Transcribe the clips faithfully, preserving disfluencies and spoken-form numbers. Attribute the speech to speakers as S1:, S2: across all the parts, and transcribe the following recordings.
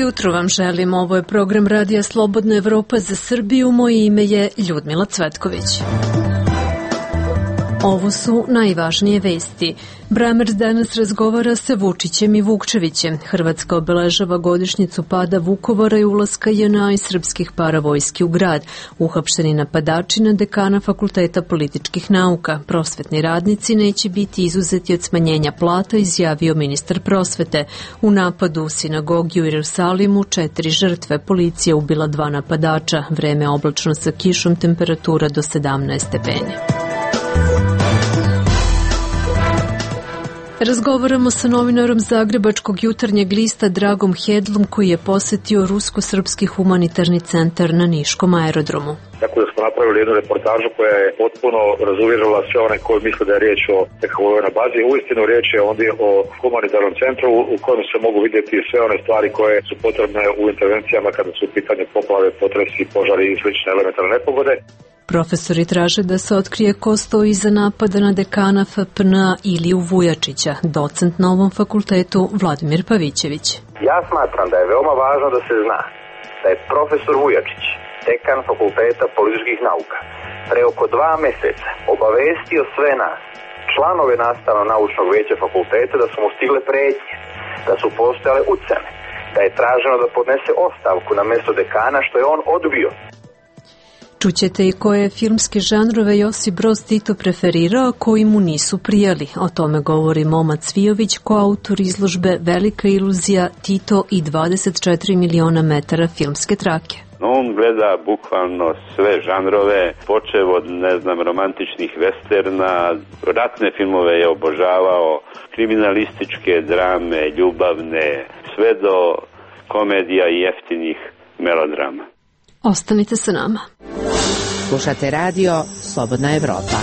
S1: jutro vam želim. Ovo je program Radija Slobodna Evropa za Srbiju. Moje ime je Ljudmila Cvetković. Ovo su najvažnije vesti. Bramerc danas razgovara sa Vučićem i Vukčevićem. Hrvatska obeležava godišnjicu pada Vukovara i ulaska J N A i srpskih paravojski u grad. Uhapšeni napadači na dekana Fakulteta političkih nauka. Prosvetni radnici neće biti izuzeti od smanjenja plata, izjavio ministar prosvete. U napadu u sinagogi u Jerusalimu četiri žrtve. Policija ubila dva napadača. Vreme oblačno sa kišom, temperatura do sedamnaest stepeni. Razgovaramo sa novinarom Zagrebačkog jutarnjeg lista Dragom Hedlom, koji je posetio Rusko-srpski humanitarni centar na Niškom aerodromu.
S2: Tako da smo napravili jednu reportažu koja je potpuno razuvjerila sve one koji misle da je riječ o nekakvoj vojnoj bazi. Uistinu riječ je ondje o humanitarnom centru u kojem se mogu vidjeti sve one stvari koje su potrebne u intervencijama kada su u pitanju poplave, potresi, požari i slične elementarne nepogode.
S1: Profesori traže da se otkrije ko stoji iza napada na dekana F P N A Iliju Vujačića, docent na ovom fakultetu Vladimir Pavićević.
S3: Ja smatram da je veoma važno da se zna da je profesor Vujačić, dekan Fakulteta političkih nauka, pre oko dva meseca obavestio sve nas, članove nastavno-naučnog veća fakulteta, da su mu stigle pretnje, da su postojale ucene, da je traženo da podnese ostavku na mesto dekana, što je on odbio.
S1: Čućete i koje filmske žanrove Josip Broz Tito preferirao, koji mu nisu prijali. O tome govori Momad Cvijović, koautor izložbe Velika iluzija Tito i dvadeset četiri miliona metara filmske trake.
S4: On gleda bukvalno sve žanrove, počev od, ne znam, romantičnih westerna, ratne filmove je obožavao, kriminalističke drame, ljubavne, sve do komedija i jeftinih melodrama.
S1: Ostanite sa nama.
S5: Slušate radio Slobodna Evropa.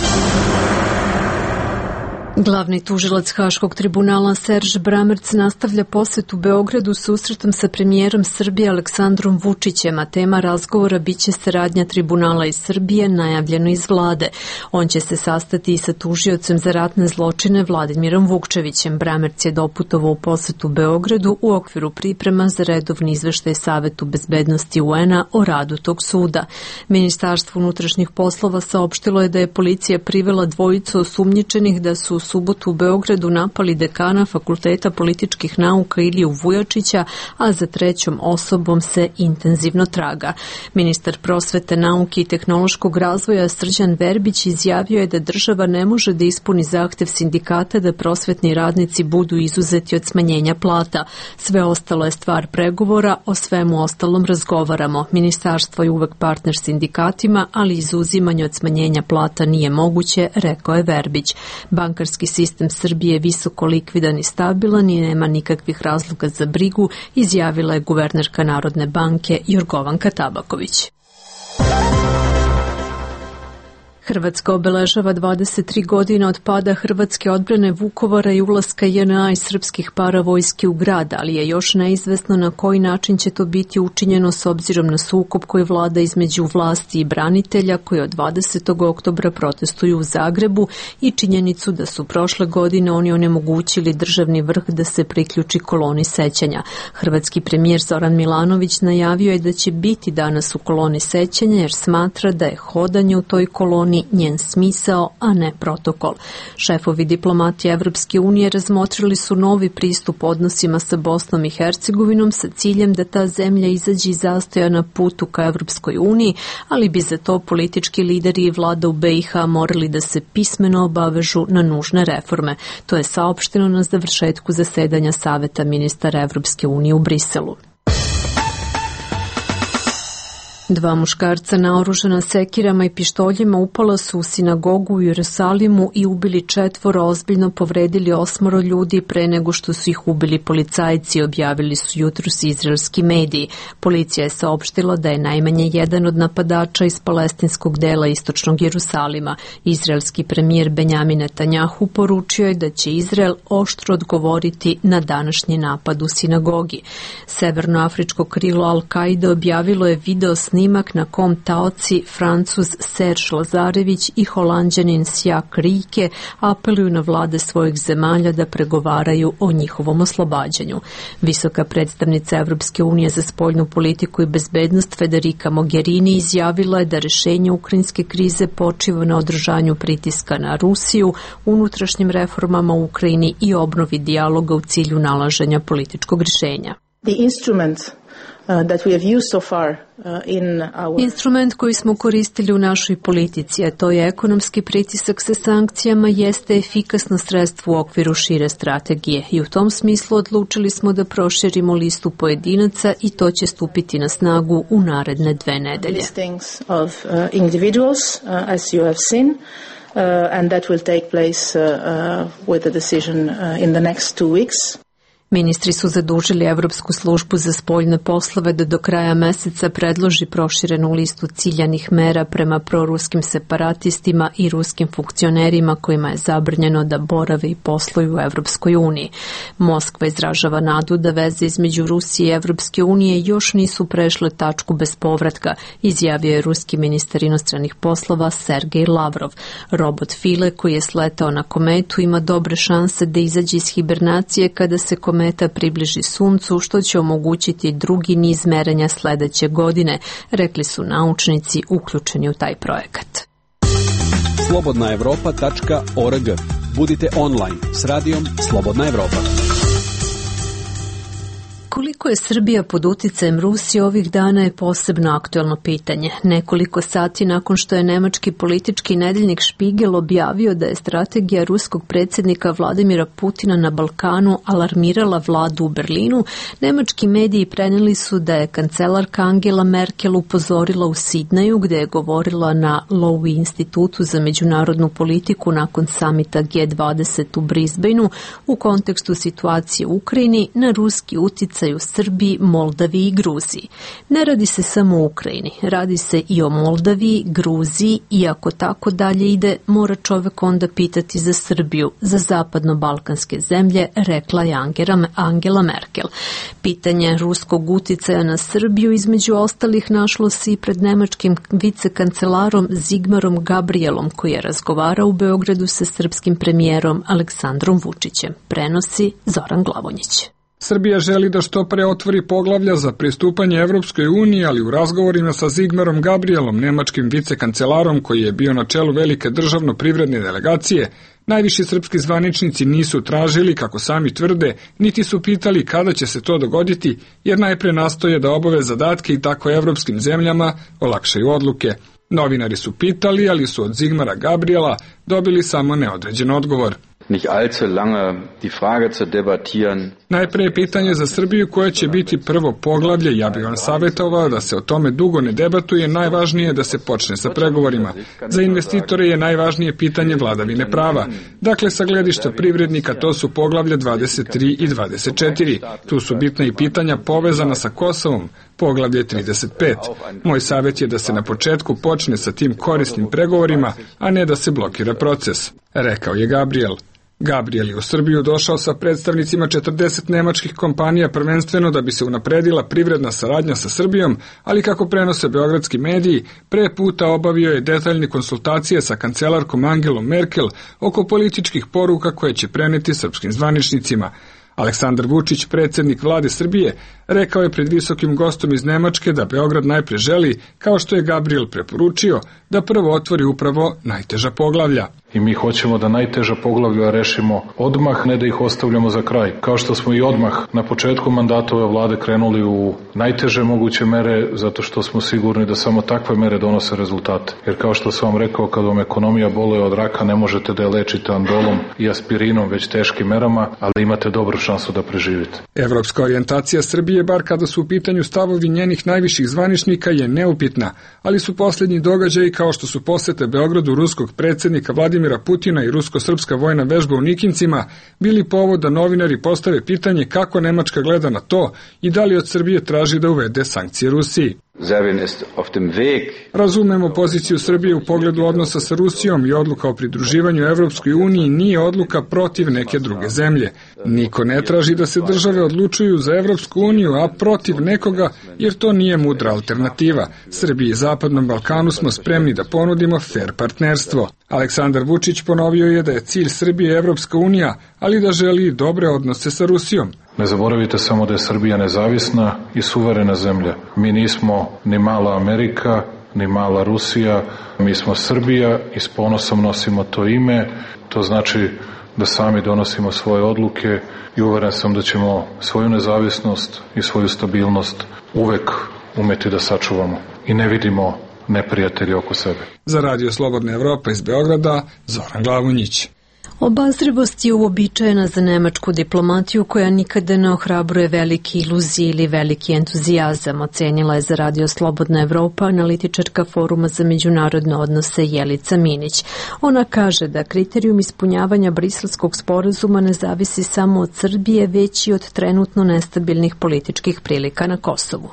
S1: Glavni tužilac Haškog tribunala Serž Bramerc nastavlja posetu Beogradu susretom sa premijerom Srbije Aleksandrom Vučićem, a tema razgovora biće saradnja tribunala iz Srbije, najavljeno iz vlade. On će se sastati i sa tužiocem za ratne zločine Vladimirom Vukčevićem. Bramerc je doputovao u posetu Beogradu u okviru priprema za redovni izveštaj Savetu bezbednosti U N A o radu tog suda. Ministarstvo unutrašnjih poslova saopštilo je da je policija privela dvojicu osumnjičenih da su u subotu u Beogradu napali dekana Fakulteta političkih nauka Iliju Vujačića, a za trećom osobom se intenzivno traga. Ministar prosvete, nauke i tehnološkog razvoja Srđan Verbić izjavio je da država ne može da ispuni zahtev sindikata da prosvetni radnici budu izuzeti od smanjenja plata. Sve ostalo je stvar pregovora, o svemu ostalom razgovaramo. Ministarstvo je uvek partner sindikatima, ali izuzimanje od smanjenja plata nije moguće, rekao je Verbić. Bankarski sistem Srbije je visoko likvidan i stabilan i nema nikakvih razloga za brigu, izjavila je guvernerka Narodne banke Jorgovanka Tabaković. Hrvatska obeležava dvadeset tri godine od pada hrvatske odbrane Vukovara i ulaska J N A i srpskih paravojski u grad, ali je još neizvesno na koji način će to biti učinjeno s obzirom na sukob koji vlada između vlasti i branitelja koji od dvadesetog oktobra protestuju u Zagrebu i činjenicu da su prošle godine oni onemogućili državni vrh da se priključi koloni sećanja. Hrvatski premijer Zoran Milanović najavio je da će biti danas u koloni sećanja jer smatra da je hodanje u toj koloni njen smisao, a ne protokol. Šefovi diplomatije Evropske unije razmotrili su novi pristup odnosima sa Bosnom i Hercegovinom sa ciljem da ta zemlja izađe iz zastoja na putu ka Evropskoj uniji, ali bi za to politički lideri i vlada u B i H morali da se pismeno obavežu na nužne reforme. To je saopšteno na završetku zasedanja Saveta ministara Evropske unije u Briselu. Dva muškarca naoružana sekirama i pištoljima upala su u sinagogu u Jerusalimu i ubili četvoro, ozbiljno povredili osmoro ljudi pre nego što su ih ubili policajci, objavili su jutros izraelski mediji. Policija je saopštila da je najmanje jedan od napadača iz palestinskog dela istočnog Jerusalima. Izraelski premijer Benjamin Netanjahu poručio je da će Izrael oštro odgovoriti na današnji napad u sinagogi. Severnoafričko krilo Al-Kaide objavilo je video snimak snimak na kom taoci Francuz Serge Lazarević i Holanđanin Sjak Rike apeluju na vlade svojih zemalja da pregovaraju o njihovom oslobađanju. Visoka predstavnica Evropske unije za spoljnu politiku i bezbednost Federica Mogherini izjavila je da rešenje ukrajinske krize počiva na održanju pritiska na Rusiju, unutrašnjim reformama u Ukrajini i obnovi dijaloga u cilju nalaženja političkog rješenja.
S6: The instrument uh, that we have used so far uh, in our...
S1: Instrument koji smo koristili u našoj politici, a to je ekonomski pritisak sa sankcijama, jeste efikasno sredstvo u okviru šire strategije i u tom smislu odlučili smo da proširimo listu pojedinaca i to će stupiti na snagu u naredne dve nedelje.
S6: Listings of uh, individuals, uh, as you have seen. Uh, and that will take place uh, uh, with a decision uh, in the next two weeks.
S1: Ministri su zadužili Evropsku službu za spoljne poslove da do kraja meseca predloži proširenu listu ciljanih mera prema proruskim separatistima i ruskim funkcionerima kojima je zabranjeno da borave i posluju u Evropskoj uniji. Moskva izražava nadu da veze između Rusije i Evropske unije još nisu prešle tačku bez povratka, izjavio je ruski ministar inostranih poslova Sergej Lavrov. Robot File koji je sletao na kometu ima dobre šanse da izađe iz hibernacije kada se kometa Kometa približi Suncu, što će omogućiti drugi niz merenja sledeće godine, rekli su naučnici uključeni u taj projekat.
S7: slobodna evropa tačka org. Budite online s radijom Slobodna Evropa.
S1: Koliko je Srbija pod uticajem Rusije ovih dana je posebno aktuelno pitanje. Nekoliko sati nakon što je nemački politički nedeljnik Špigel objavio da je strategija ruskog predsjednika Vladimira Putina na Balkanu alarmirala vladu u Berlinu, nemački mediji preneli su da je kancelarka Angela Merkel upozorila u Sidneju, gde je govorila na Lowy institutu za međunarodnu politiku nakon samita G dvadeset u Brisbaneu u kontekstu situacije u Ukrajini na ruski uticaj u Srbiji, Moldaviji i Gruziji. Ne radi se samo o Ukrajini, radi se i o Moldaviji, Gruziji i ako tako dalje ide, mora čovek onda pitati za Srbiju, za zapadno-balkanske zemlje, rekla je Angela Merkel. Pitanje ruskog uticaja na Srbiju između ostalih našlo se i pred nemačkim vicekancelarom Zigmarom Gabrielom koji je razgovarao u Beogradu sa srpskim premijerom Aleksandrom Vučićem. Prenosi Zoran Glavonjić.
S8: Srbija želi da što pre otvori poglavlja za pristupanje Evropskoj uniji, ali u razgovorima sa Zigmarom Gabrielom, nemačkim vicekancelarom koji je bio na čelu velike državno-privredne delegacije, najviši srpski zvaničnici nisu tražili, kako sami tvrde, niti su pitali kada će se to dogoditi, jer najpre nastoje da obave zadatke i tako evropskim zemljama olakšaju odluke. Novinari su pitali, ali su od Zigmara Gabriela dobili samo neodređen odgovor.
S9: Nicht allzu lange die Frage zu debattieren.
S8: Najpre je pitanje za Srbiju koje će biti prvo poglavlje. Ja bih vam savjetovao da se o tome dugo ne debatuje, najvažnije je da se počne sa pregovorima. Za investitore je najvažnije pitanje vladavine prava. Dakle, sa gledišta privrednika to su poglavlja dvadeset tri i dvadeset četiri. Tu su bitna i pitanja povezana sa Kosovom, poglavlje trideset pet. Moj savjet je da se na početku počne sa tim korisnim pregovorima, a ne da se blokira proces, rekao je Gabriel. Gabriel je u Srbiju došao sa predstavnicima četrdeset nemačkih kompanija prvenstveno da bi se unapredila privredna saradnja sa Srbijom, ali kako prenose beogradski mediji, pre puta obavio je detaljne konsultacije sa kancelarkom Angelom Merkel oko političkih poruka koje će preneti srpskim zvaničnicima. Aleksandar Vučić, predsjednik vlade Srbije, rekao je pred visokim gostom iz Nemačke da Beograd najpre želi, kao što je Gabriel preporučio, da prvo otvori upravo najteža poglavlja.
S10: I mi hoćemo da najteža poglavlja rešimo odmah, ne da ih ostavljamo za kraj. Kao što smo i odmah na početku mandata ove vlade krenuli u najteže moguće mere, zato što smo sigurni da samo takve mere donose rezultate. Jer kao što sam vam rekao, kad vam ekonomija boluje od raka, ne možete da je lečite andolom i aspirinom, već teškim merama, ali imate dobru šansu da preživite.
S8: Evropska orijentacija Srbije, bar kada su u pitanju stavovi njenih najviših zvaničnika, je neupitna, ali su posljednji događaji kao što su posete Beogradu ruskog predsjednika Vladimira Putina i rusko-srpska vojna vežba u Nikincima bili povod da novinari postave pitanje kako Nemačka gleda na to i da li od Srbije traži da uvede sankcije Rusiji.
S9: Serbien ist auf dem Weg.
S8: Razumemo poziciju Srbije u pogledu odnosa sa Rusijom i odluka o pridruživanju Evropskoj uniji nije odluka protiv neke druge zemlje. Niko ne traži da se države odlučuju za Evropsku uniju, a protiv nekoga, jer to nije mudra alternativa. Srbiji i Zapadnom Balkanu smo spremni da ponudimo fer partnerstvo. Aleksandar Vučić ponovio je da je cilj Srbije Evropska unija, ali da želi dobre odnose sa Rusijom.
S10: Ne zaboravite samo da je Srbija nezavisna i suverena zemlja. Mi nismo ni mala Amerika, ni mala Rusija, mi smo Srbija i s ponosom nosimo to ime. To znači da sami donosimo svoje odluke i uveren sam da ćemo svoju nezavisnost i svoju stabilnost uvek umeti da sačuvamo i ne vidimo neprijatelji oko sebe.
S8: Za Radio Slobodna Evropa iz Beograda, Zoran Glavunjić.
S1: Obazrivost je uobičajena za nemačku diplomatiju koja nikada ne ohrabruje velike iluzije ili veliki entuzijazam, ocenila je za Radio Slobodna Evropa analitičarka Foruma za međunarodne odnose Jelica Minić. Ona kaže da kriterijum ispunjavanja Briselskog sporazuma ne zavisi samo od Srbije, već i od trenutno nestabilnih političkih prilika na Kosovu.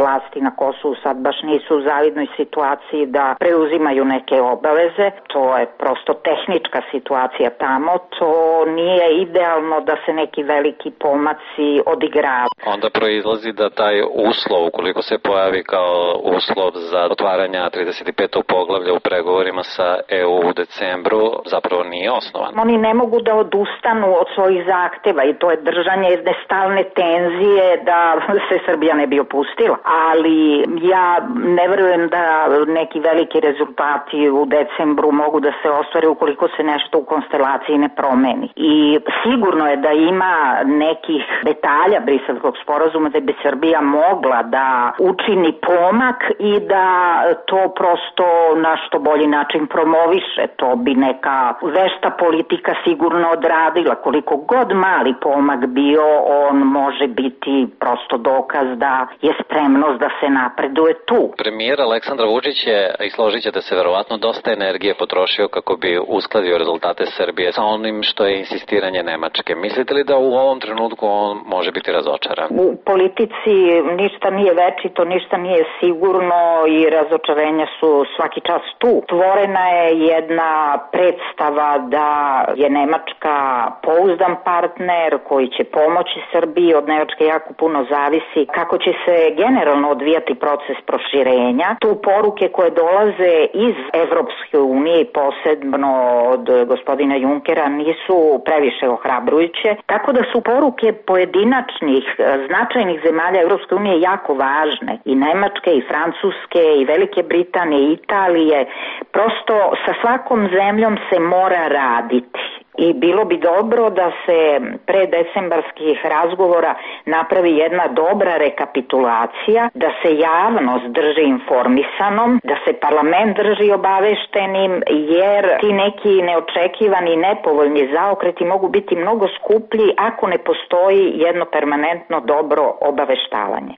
S11: Vlasti na Kosovu sad baš nisu u zavidnoj situaciji da preuzimaju neke obaveze. To je prosto tehnička situacija tamo. To nije idealno da se neki veliki pomaci odigraju.
S12: Onda proizlazi da taj uslov, ukoliko se pojavi kao uslov za otvaranja trideset petog poglavlja u pregovorima sa E U u decembru, zapravo nije osnovan.
S11: Oni ne mogu da odustanu od svojih zahteva i to je držanje jedne stalne tenzije da se Srbija ne bi opustila. Ali ja ne verujem da neki veliki rezultati u decembru mogu da se ostvare ukoliko se nešto u konstelaciji ne promeni. I sigurno je da ima nekih detalja Briselskog sporazuma da bi Srbija mogla da učini pomak i da to prosto na što bolji način promoviše. To bi neka vešta politika sigurno odradila. Koliko god mali pomak bio, on može biti prosto dokaz da je spremnost da se napreduje tu.
S12: Premijer Aleksandar Vučić je, i složit ćete se verovatno, dosta energije potrošio kako bi uskladio rezultate Srbije sa onim što je insistiranje Nemačke. Mislite li da u ovom trenutku on može biti razočaran?
S11: U politici ništa nije večito, ništa nije sigurno i razočarenja su svaki čas tu. Tvorena je jedna predstava da je Nemačka pouzdan partner koji će pomoći Srbiji. Od Nemačke jako puno zavisi kako će se generalno odvijati proces proširenja. Tu poruke koje dolaze iz Evropske unije i posebno od gospodina Junkera nisu previše ohrabrujuće, tako da su poruke pojedinačnih značajnih zemalja Evropske unije jako važne. I Nemačke, i Francuske, i Velike Britanije, i Italije. Prosto sa svakom zemljom se mora raditi. I bilo bi dobro da se pre decembarskih razgovora napravi jedna dobra rekapitulacija, da se javnost drži informisanom, da se parlament drži obaveštenim, jer ti neki neočekivani i nepovoljni zaokreti mogu biti mnogo skuplji ako ne postoji jedno permanentno dobro obaveštavanje.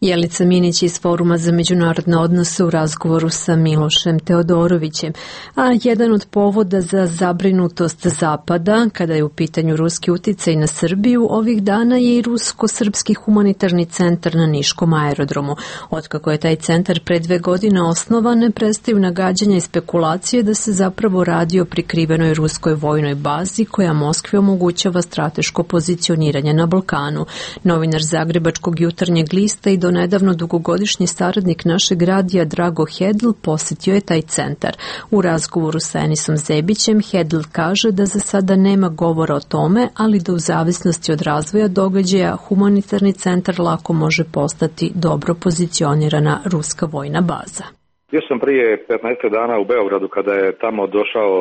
S1: Jelica Minić iz Foruma za međunarodne odnose u razgovoru sa Milošem Teodorovićem. A jedan od povoda za zabrinutost Zapada, kada je u pitanju ruski uticaj na Srbiju, ovih dana je i Rusko-srpski humanitarni centar na Niškom aerodromu. Otkako je taj centar pre dve godine osnovan, ne prestaju nagađanja i spekulacije da se zapravo radi o prikrivenoj ruskoj vojnoj bazi koja Moskvi omogućava strateško pozicioniranje na Balkanu. Novinar Zagrebačkog jutarnjeg lista i do nedavno dugogodišnji saradnik našeg radija Drago Hedl posjetio je taj centar. U razgovoru sa Enisom Zebićem Hedl kaže da za sada nema govora o tome, ali da u zavisnosti od razvoja događaja humanitarni centar lako može postati dobro pozicionirana ruska vojna baza.
S2: Bio sam prije petnaest dana u Beogradu kada je tamo došao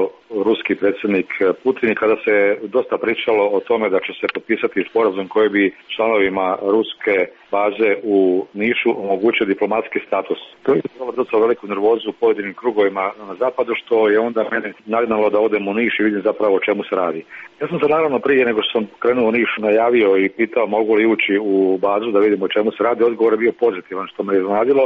S2: ruski predsjednik Putin i kada se dosta pričalo o tome da će se potpisati sporazum koji bi članovima ruske baze u Nišu omogućio diplomatski status. To je izazvalo veliku nervozu u pojedinim krugovima na zapadu, što je onda mene nagnalo da odem u Niš i vidim zapravo o čemu se radi. Ja sam se naravno prije nego što sam krenuo u Niš najavio i pitao mogu li ući u bazu da vidimo o čemu se radi. Odgovor je bio pozitivan, što me je iznenadilo.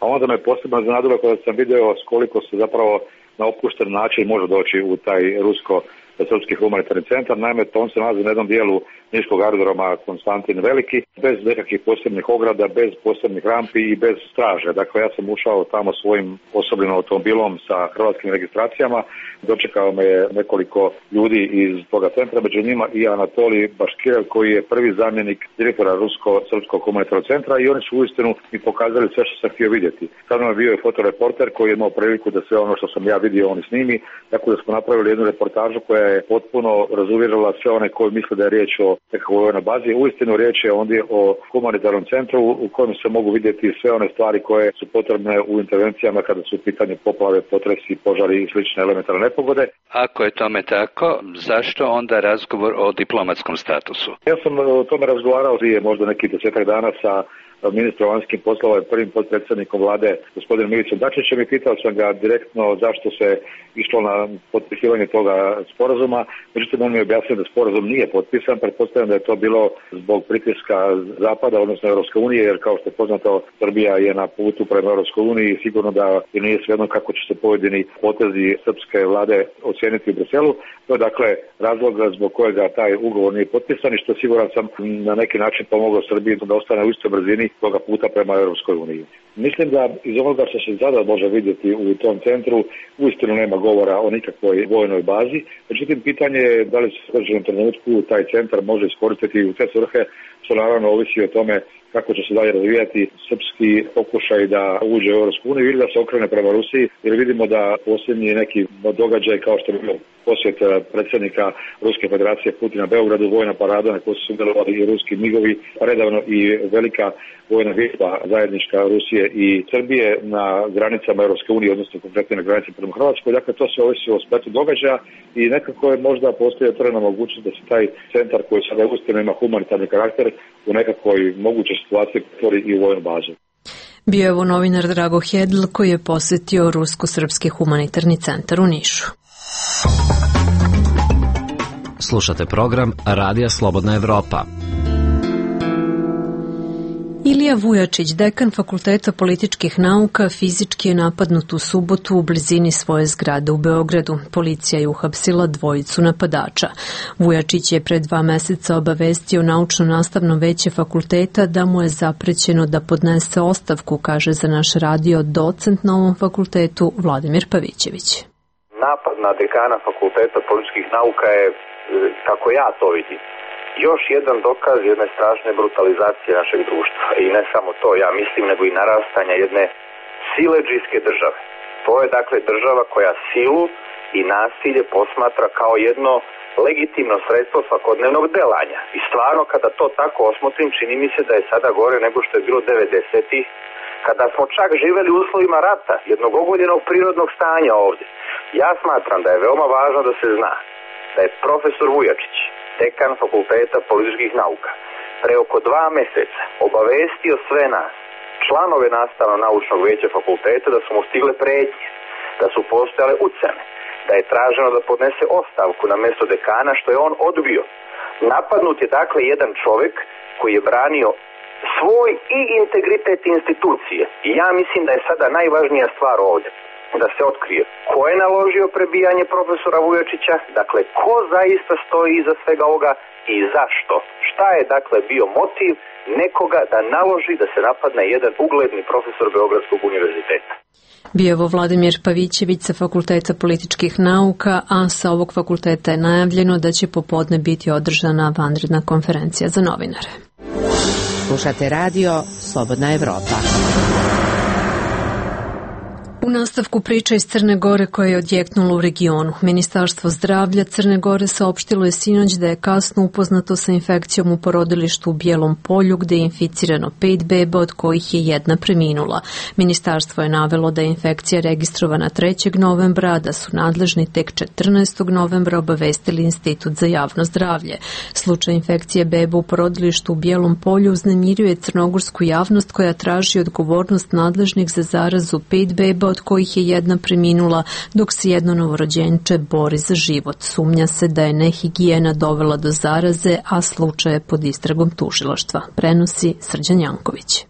S2: A onda me posebno iznenadilo kada sam video s koliko se zapravo na opušten način može doći u taj rusko-srpski humanitarni centar. Naime, to on se nalazi na jednom dijelu niškog aerodroma Konstantin Veliki, bez nekakvih posebnih ograda, bez posebnih rampi i bez straže. Dakle, ja sam ušao tamo svojim osobnim automobilom sa hrvatskim registracijama. Dočekao me je nekoliko ljudi iz toga centra, među njima i Anatolij Baškirev, koji je prvi zamjenik direktora Rusko-Srpskog humanitarnog centra, i oni su uistinu mi pokazali sve što sam htio vidjeti. Sad nam bio je fotoreporter koji je imao priliku da sve ono što sam ja vidio oni snimi, tako da smo napravili jednu reportažu koja je potpuno razuvjerila sve one koji misle da je riječ o nekakvoj vojnoj bazi. Uistinu riječ je ondje o humanitarnom centru u kojem se mogu vidjeti sve one stvari koje su potrebne u intervencijama kada su u pitanju poplave, potresi, požari i slične elementarne nepogode.
S13: Ako je tome tako, zašto onda razgovor o diplomatskom statusu?
S2: Ja sam o tome razgovarao prije možda nekih desetak dana sa ministrom vanjskih poslova i prvim potpredsjednikom vlade gospodinom Ivicom Dačićem i pitao sam ga direktno zašto se išlo na potpisivanje toga sporazuma. Međutim, on mi je objasnio da sporazum nije potpisan. Pretpostavljam da je to bilo zbog pritiska Zapada, odnosno Europske unije, jer kao što je poznato, Srbija je na putu prema Europskoj uniji i sigurno da je nije svejedno kako će se pojedini potezi srpske vlade ocijeniti u Briselu. To je dakle razlog zbog kojega taj ugovor nije potpisan i što siguran sam na neki način pomogao Srbiji da ostane u istoj brzini toga puta prema Europskoj uniji. Mislim da iz onoga što se sada može vidjeti u tom centru uistinu nema govora o nikakvoj vojnoj bazi. Međutim, pitanje je da li se u određenom trenutku taj centar može iskoristiti u te svrhe, što naravno ovisi o tome kako će se dalje razvijati srpski pokušaj da uđe u Europsku uniju ili da se okrene prema Rusiji, jer vidimo da posljednji neki događaj kao što je bio posjet predsjednika Ruske federacije Putina Beogradu, vojna parada na kojoj su sudjelovali i ruski migovi, redavno i velika vojna vježba zajednička Rusije i Srbije na granicama Europske unije, odnosno konkretno na granici prema Hrvatskoj. Dakle, to se ovisi o spletu događaja i nekako je možda postoji otvorena mogućnost da se taj centar koji sada uistinu ima humanitarni karakter u nekakvoj mogućoj situaciji pretvori i u vojnu bazu.
S1: Bio je ovo novinar Drago Hedl koji je posjetio Rusko-Srpski humanitarni centar u Nišu.
S14: Slušate program Radija Slobodna Evropa.
S1: Ilija Vujačić, dekan Fakulteta političkih nauka, fizički je napadnut u subotu u blizini svoje zgrade u Beogradu. Policija je uhapsila dvojicu napadača. Vujačić je pre dva meseca obavestio naučno-nastavno veće fakulteta da mu je zaprećeno da podnese ostavku, kaže za naš radio docent na ovom fakultetu Vladimir Pavićević.
S3: Napad na dekana Fakulteta političkih nauka je, kako ja to vidim, još jedan dokaz jedne strašne brutalizacije našeg društva. I ne samo to, ja mislim, nego i narastanja jedne siledžijske države. To je dakle država koja silu i nasilje posmatra kao jedno legitimno sredstvo svakodnevnog delanja. I stvarno, kada to tako osmotrim, čini mi se da je sada gore nego što je bilo devedesetih, kada smo čak živeli u uslovima rata, jednog ogoljenog prirodnog stanja ovdje. Ja smatram da je veoma važno da se zna da je profesor Vujačić, dekan Fakulteta političkih nauka, pre oko dva meseca obavestio sve nas, članove nastavno-naučnog veća fakulteta, da su mu stigle pretnje, da su postojale ucene, da je traženo da podnese ostavku na mjesto dekana, što je on odbio. Napadnut je dakle jedan čovjek koji je branio svoj i integritet institucije. I ja mislim da je sada najvažnija stvar ovdje da se otkrije ko je naložio prebijanje profesora Vujačića, dakle ko zaista stoji iza svega ovoga i zašto. Šta je dakle bio motiv nekoga da naloži da se napadne jedan ugledni profesor Beogradskog univerziteta.
S1: Bio je ovo Vladimir Pavićević sa Fakulteta političkih nauka, a sa ovog fakulteta je najavljeno da će popodne biti održana vanredna konferencija za novinare.
S5: Slušate radio Slobodna Evropa.
S1: U nastavku priča iz Crne Gore koja je odjeknula u regionu. Ministarstvo zdravlja Crne Gore saopštilo je sinoć da je kasno upoznato sa infekcijom u porodilištu u Bijelom Polju gde je inficirano pet beba od kojih je jedna preminula. Ministarstvo je navelo da je infekcija registrovana trećeg novembra, a da su nadležni tek četrnaestog novembra obavestili Institut za javno zdravlje. Slučaj infekcije beba u porodilištu u Bijelom Polju uznemirio je crnogorsku javnost koja traži odgovornost nadležnih za zarazu pet beba od kojih je jedna preminula, dok se jedno novorođenče bori za život. Sumnja se da je nehigijena dovela do zaraze, a slučaj je pod istragom tužilaštva. Prenosi Srđan Janković.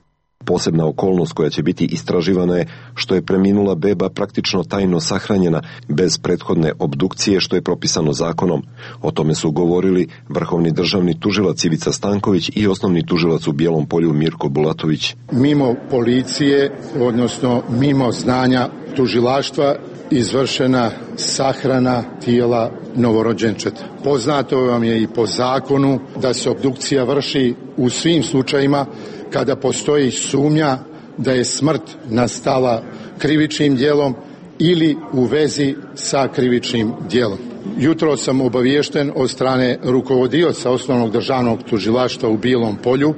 S15: Posebna okolnost koja će biti istraživana je što je preminula beba praktično tajno sahranjena bez prethodne obdukcije što je propisano zakonom. O tome su govorili vrhovni državni tužilac Ivica Stanković i osnovni tužilac u Bijelom Polju Mirko Bulatović.
S16: Mimo policije, odnosno mimo znanja tužilaštva, izvršena sahrana tijela novorođenčeta. Poznato vam je i po zakonu da se obdukcija vrši u svim slučajima kada postoji sumnja da je smrt nastala krivičnim djelom ili u vezi sa krivičnim djelom. Jutro sam obaviješten od strane rukovodioca osnovnog državnog tužilaštva u Bijelom Polju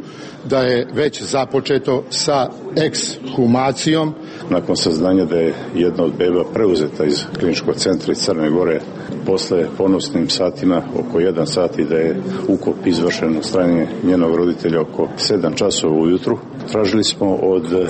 S16: da je već započeto sa ekshumacijom.
S17: Nakon saznanja da je jedna od beba preuzeta iz kliničkog centra iz Crne Gore posle ponosnim satima oko jedan sat i da je ukop izvršen od strane njenog roditelja oko sedam časova ujutru, tražili smo od e,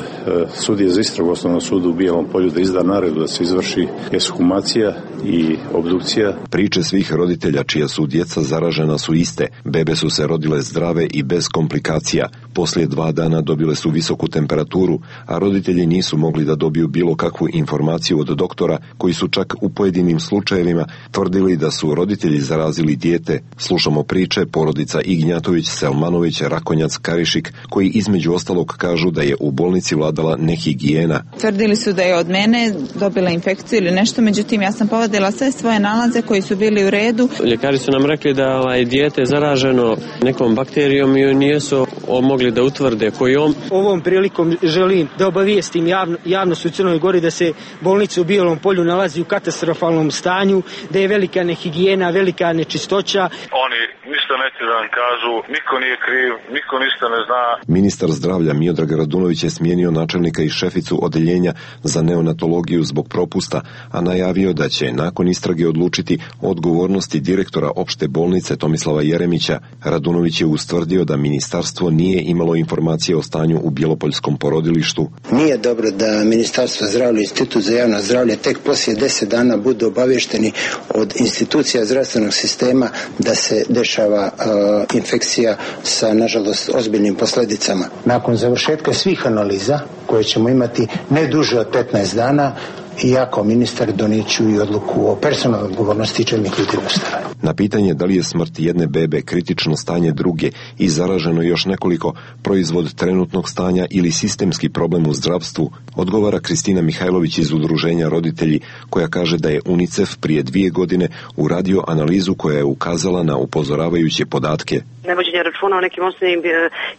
S17: sudije za istragu osnovnog suda u Bijelom Polju da izda naredbu da se izvrši ekshumacija i obdukcija.
S15: Priče svih roditelja čija su djeca zaražena su iste. Bebe su se rodile zdrave i bez komplikacija. Poslije dva dana dobile su visoku temperaturu, a roditelji nisu mogli da dobiju bilo kakvu informaciju od doktora, koji su čak u pojedinim slučajevima tvrdili da su roditelji zarazili dijete. Slušamo priče porodica Ignjatović, Selmanović, Rakonjac, Karišik, koji između ostalog kažu da je u bolnici vladala nehigijena.
S18: Tvrdili su da je od mene dobila infekciju ili nešto, međutim ja sam povadila sve svoje nalaze koji su bili u redu.
S19: Ljekari su nam rekli da ovaj dijete je zaraženo nekom bakterijom i nisu mogli da utvrde kojom.
S20: Ovom prilikom želim da obavijestim javno, javnost u Crnoj Gori da se bolnica u Bijelom Polju nalazi u katastrofalnom stanju, da je velika nehigijena, velika nečistoća.
S21: Oni ništa neće da nam kažu, niko nije kriv, niko ništa ne zna.
S15: Ministar zdravlja Miodrag Radunović je smijenio načelnika i šeficu odeljenja za neonatologiju zbog propusta, a najavio da će nakon istrage odlučiti o odgovornosti direktora opšte bolnice Tomislava Jeremića. Radunović je ustvrdio da ministarstvo nije imalo informacije o stanju u Bjelopoljskom porodilištu.
S22: Nije dobro da Ministarstvo zdravlja i Institut za javno zdravlje tek poslije deset dana budu obavješteni od institucija zdravstvenog sistema da se dešava uh, infekcija sa, nažalost, ozbiljnim posljedicama. Nakon završetka svih analiza koje ćemo imati ne duže od petnaest dana, i ja kao ministar donijeću i odluku o personalnoj odgovornosti čelnih ljudi u ustanovi.
S15: Na pitanje da li je smrt jedne bebe kritično stanje druge i zaraženo još nekoliko proizvod trenutnog stanja ili sistemski problem u zdravstvu, odgovara Kristina Mihajlović iz udruženja Roditelji, koja kaže da je UNICEF prije dvije godine uradio analizu koja je ukazala na upozoravajuće podatke.
S23: Nevođenje računa o nekim osnovnim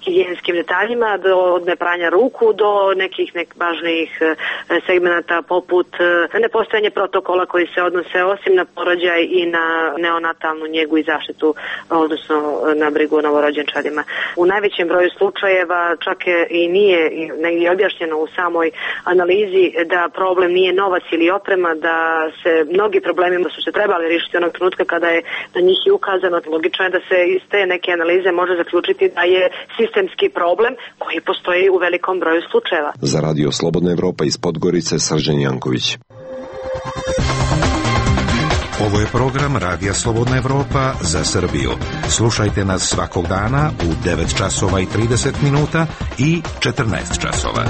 S23: higijenskim detaljima, do, od nepranja ruku do nekih nek važnijih segmenata poput nepostojanje protokola koji se odnose osim na porođaj i na neonatalnu njegu i zaštitu, odnosno na brigu o novorođenčadima. U najvećem broju slučajeva čak i nije negdje objašnjeno u samoj analizi da problem nije novac ili oprema, da se mnogi problemi su se trebali riješiti onog trenutka kada je na njih i ukazano. Logično je da se iz te neke analize može zaključiti da je sistemski problem koji postoji u velikom broju slučajeva.
S15: Za Radio Slobodna Evropa iz Podgorice, Srđan Janković.
S24: Ovo je program Radija Slobodna Evropa za Srbiju. Slušajte nas svakog dana u devet časova i trideset minuta i četrnaest časova.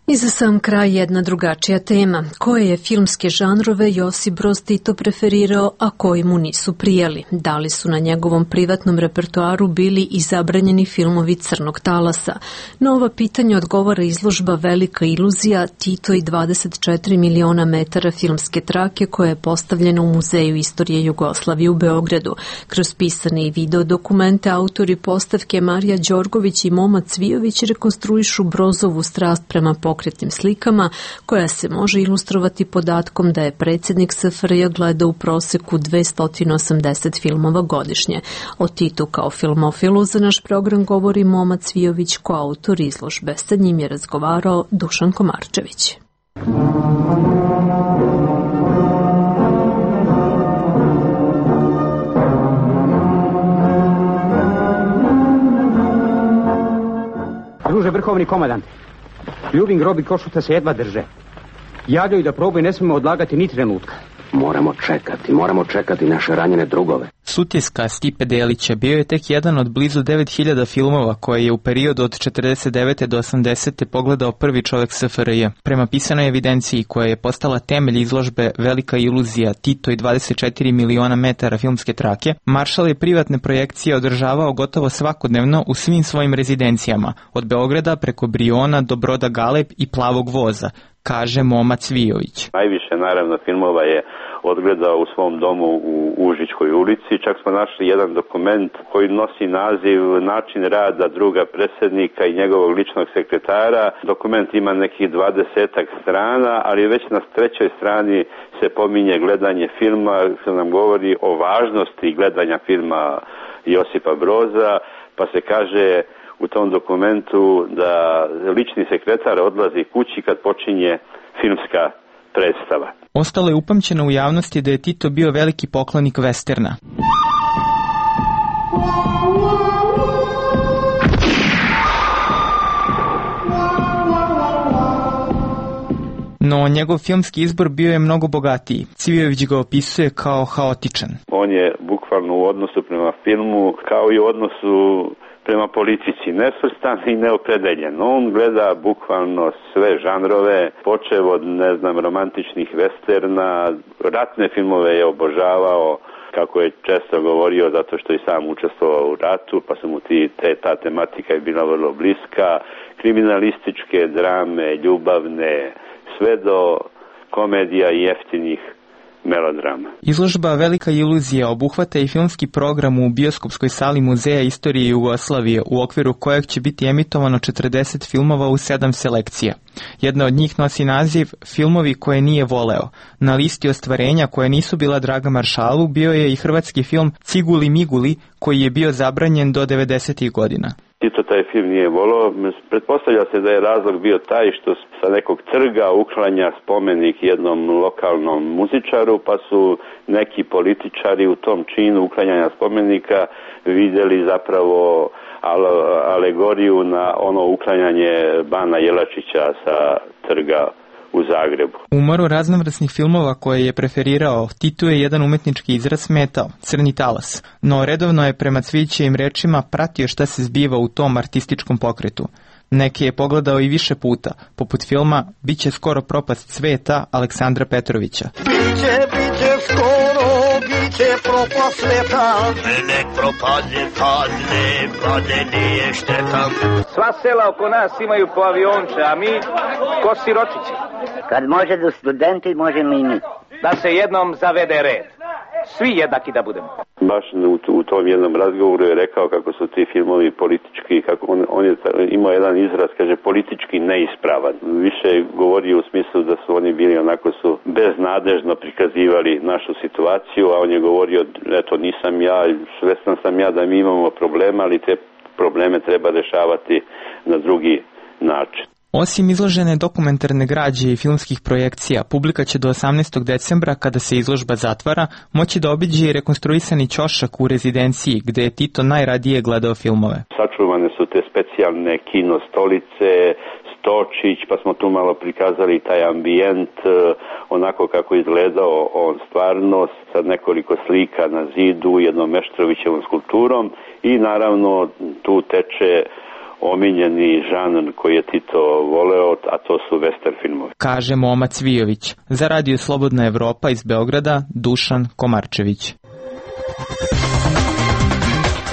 S1: I za sam kraj jedna drugačija tema. Koje je filmske žanrove Josip Broz Tito preferirao, a koji mu nisu prijeli? Da li su na njegovom privatnom repertoaru bili i zabranjeni filmovi Crnog talasa? Na ova pitanja odgovara izložba Velika iluzija Tito i dvadeset četiri miliona metara filmske trake koja je postavljena u Muzeju istorije Jugoslavije u Beogradu. Kroz pisane i video dokumente autori postavke Marija Đorgović i Moma Cvijović rekonstruišu Brozovu strast prema pokretnim slikama, koja se može ilustrovati podatkom da je predsjednik S F R J gleda u proseku dvesta osamdeset filmova godišnje. O Titu kao filmofilu za naš program govori Moma Cvijović, koautor izložbe. Sa njim je razgovarao Dušan Komarčević.
S25: Druže vrhovni komandant, Ljubin grob i Košuta se jedva drže. Javljaju da proboj ne smemo odlagati ni trenutka. Moramo čekati, moramo čekati naše ranjene drugove.
S4: Sutjeska Stipe Delića bio je tek jedan od blizu devet hiljada filmova koje je u periodu od četrdeset devete do osamdesete pogledao prvi čovjek S F R J. Prema pisanoj evidenciji koja je postala temelj izložbe Velika iluzija Tito i dvadeset četiri miliona metara filmske trake, Maršal je privatne projekcije održavao gotovo svakodnevno u svim svojim rezidencijama, od Beograda preko Briona do Broda Galeb i Plavog voza, kaže Moma Cvijović.
S6: Najviše naravno filmova je odgledao u svom domu u Užičkoj ulici. Čak smo našli jedan dokument koji nosi naziv Način rada druga predsjednika i njegovog ličnog sekretara. Dokument ima nekih dvadesetak strana, ali već na trećoj strani se pominje gledanje filma, što nam govori o važnosti gledanja filma Josipa Broza, pa se kaže u tom dokumentu da lični sekretar odlazi kući kad počinje filmska predstava.
S4: Ostalo je upamćeno u javnosti da je Tito bio veliki poklonik vesterna. No, njegov filmski izbor bio je mnogo bogatiji. Cvijović ga opisuje kao haotičan.
S6: On je bukvalno u odnosu prema filmu kao i u odnosu prema politici nesvrstan i neopredeljen. On gleda bukvalno sve žanrove, počev od, ne znam, romantičnih westerna, ratne filmove je obožavao, kako je često govorio, zato što je sam učestvovao u ratu, pa su mu ti, te, ta tematika je bila vrlo bliska, kriminalističke drame, ljubavne, sve do komedija i jeftinih melodrama.
S4: Izložba Velika iluzija obuhvata i filmski program u bioskopskoj sali Muzeja istorije Jugoslavije, u okviru kojeg će biti emitovano četrdeset filmova u sedam selekcija. Jedna od njih nosi naziv Filmovi koje nije voleo. Na listi ostvarenja koje nisu bila draga Maršalu bio je i hrvatski film Ciguli Miguli, koji je bio zabranjen do devedesetih godina.
S6: Tito taj film nije volio. Pretpostavlja se da je razlog bio taj što sa nekog trga uklanja spomenik jednom lokalnom muzičaru, pa su neki političari u tom činu uklanjanja spomenika vidjeli zapravo alegoriju na ono uklanjanje Bana Jelačića sa trga u Zagrebu.
S4: U moru raznovrsnih filmova koje je preferirao, Titu je jedan umetnički izraz smetao, Crni talas, no redovno je prema Cvijićevim rečima pratio šta se zbiva u tom artističkom pokretu. Neke je pogledao i više puta, poput filma Biće skoro propast sveta Aleksandra Petrovića.
S7: Biće, biće skoro, biće propast sveta, nek propadne, padne, padne nije šteta.
S9: Sva sela oko nas imaju po avionče, a mi ko siročići.
S10: Kad može do studenti, možemo i mi.
S9: Da se jednom zavede red. Svi jednaki da budemo.
S6: Baš u, u tom jednom razgovoru je rekao kako su ti filmovi politički, kako on, on je imao jedan izraz, kaže, politički neispravan. Više je govorio u smislu da su oni bili onako su beznadežno prikazivali našu situaciju, a on je govorio, eto, nisam ja, svestan sam ja da mi imamo problema, ali te probleme treba rešavati na drugi način.
S4: Osim izložene dokumentarne građe i filmskih projekcija, publika će do osamnaestog decembra, kada se izložba zatvara, moći da obiđe i rekonstruisani ćošak u rezidenciji, gde je Tito najradije gledao filmove.
S6: Sačuvane su te specijalne kino stolice, stočić, pa smo tu malo prikazali taj ambijent, onako kako izgledao on stvarno, sa nekoliko slika na zidu, jednom Meštrovićevom skulpturom i naravno tu teče omiljeni žanr koji je Tito voleo, a to su western filmovi.
S4: Kaže Moma Cvijović. Za Radio Slobodna Evropa iz Beograda, Dušan Komarčević.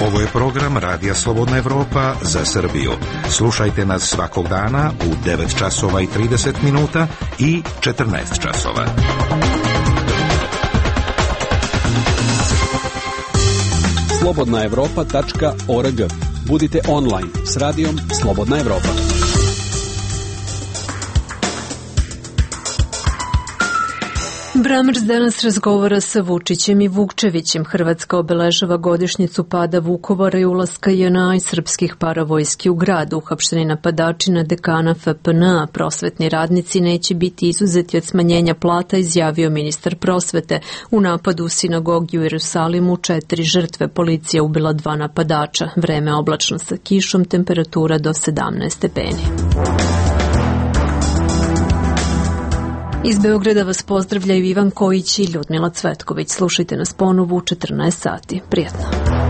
S24: Ovo je program Radija Slobodna Evropa za Srbiju. Slušajte nas svakog dana u devet časova i trideset minuta i četrnaest časova.
S26: slobodna evropa tačka org. Budite online s radijom Slobodna Evropa.
S1: Bramers danas razgovara sa Vučićem i Vukčevićem. Hrvatska obeležava godišnjicu pada Vukovara i ulaska J N A i srpskih paravojski u grad. Uhapšteni napadači na dekana F P N A, prosvetni radnici neće biti izuzeti od smanjenja plata, izjavio ministar prosvete. U napadu u sinagogi u Jerusalimu četiri žrtve, policija ubila dva napadača. Vreme oblačno sa kišom, temperatura do sedamnaest stepeni. Iz Beograda vas pozdravljaju Ivan Kojić i Ljudmila Cvetković. Slušajte nas ponovo u četrnaest sati. Prijetno.